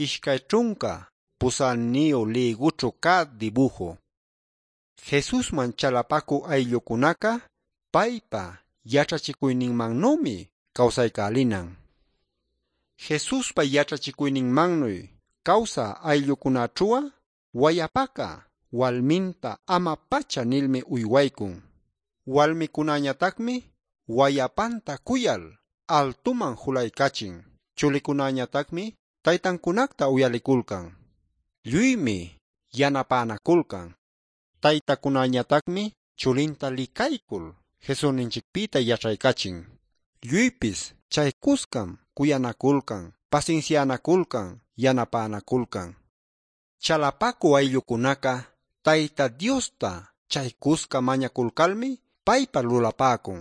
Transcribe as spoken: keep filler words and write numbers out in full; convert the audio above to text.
Ishkay ćhunca pusäniyu lïgućhu cä dibuju. Jesusman chalapacü ayllucunaca paypa yaćhachicuyninmannümi cawsaycälinan. Jesuspa yaćhachicuyninmannuy cawsä ayllucunaćhu'a wayapaca walminta ama-pacha nilmi uywaycun. Walmicunäñatacmi wayapanta cuyal altuman julaycachin. Chulicunäñatacmi taytancunacta uyaliculcan. Lluymi yanapänaculcan. Taytacunäñatacmi chulinta licaycul Jesusninchicpïta yaćhaycachin. Lluypis chay cuscam cuyanaculcan, pasinsianaculcan, yanapänaculcan. Chalapacü ayllucunaca Tayta Diosta chay cusca mañaculcalmi paypa lulapäcun.